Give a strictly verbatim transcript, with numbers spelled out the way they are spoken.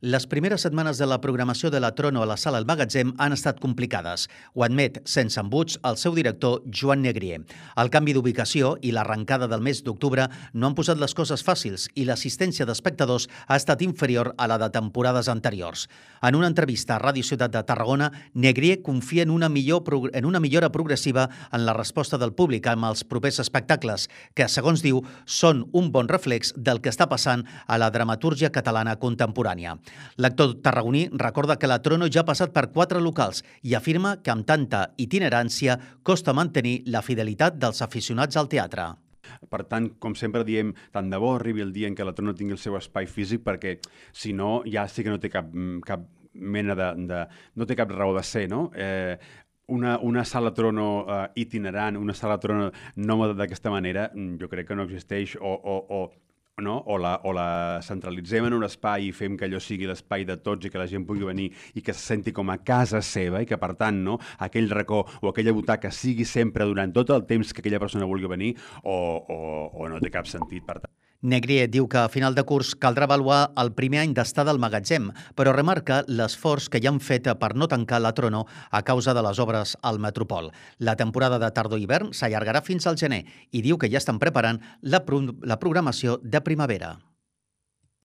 Les primeres setmanes de la programació de la Trono a la Sala El Magatzem han estat complicades. Ho admet, sense embuts, el seu director, Joan Negrier. El canvi d'ubicació i l'arrencada del mes d'octubre no han posat les coses fàcils i l'assistència d'espectadors ha estat inferior a la de temporades anteriors. En una entrevista a Ràdio Ciutat de Tarragona, Negrier confia en una, millor, en una millora progressiva en la resposta del públic amb els propers espectacles, que, segons diu, són un bon reflex del que està passant a la dramatúrgia catalana contemporània. L'actor tarragoní recorda que la Trono ja ha passat per quatre locals i afirma que amb tanta itinerància costa mantenir la fidelitat dels aficionats al teatre. Per tant, com sempre diem, tant de bo arribi el dia en què la Trono tingui el seu espai físic, perquè si no ja sí que no té cap, cap mena de, de... no té cap raó de ser, no? Eh, Una, una sala Trono uh, itinerant, una sala Trono nòmada d'aquesta manera, jo crec que no existeix o, o, o no? o, la, o la centralitzem en un espai i fem que allò sigui l'espai de tots i que la gent pugui venir i que se senti com a casa seva i que, per tant, no? aquell racó o aquella butaca sigui sempre durant tot el temps que aquella persona vulgui venir o, o, o no té cap sentit, per tant. Negrier diu que a final de curs caldrà avaluar el primer any d'estada al magatzem, però remarca l'esforç que hi han fet per no tancar la Trono a causa de les obres al Metropol. La temporada de tardor-hivern s'allargarà fins al gener i diu que ja estan preparant la, pro la programació de primavera.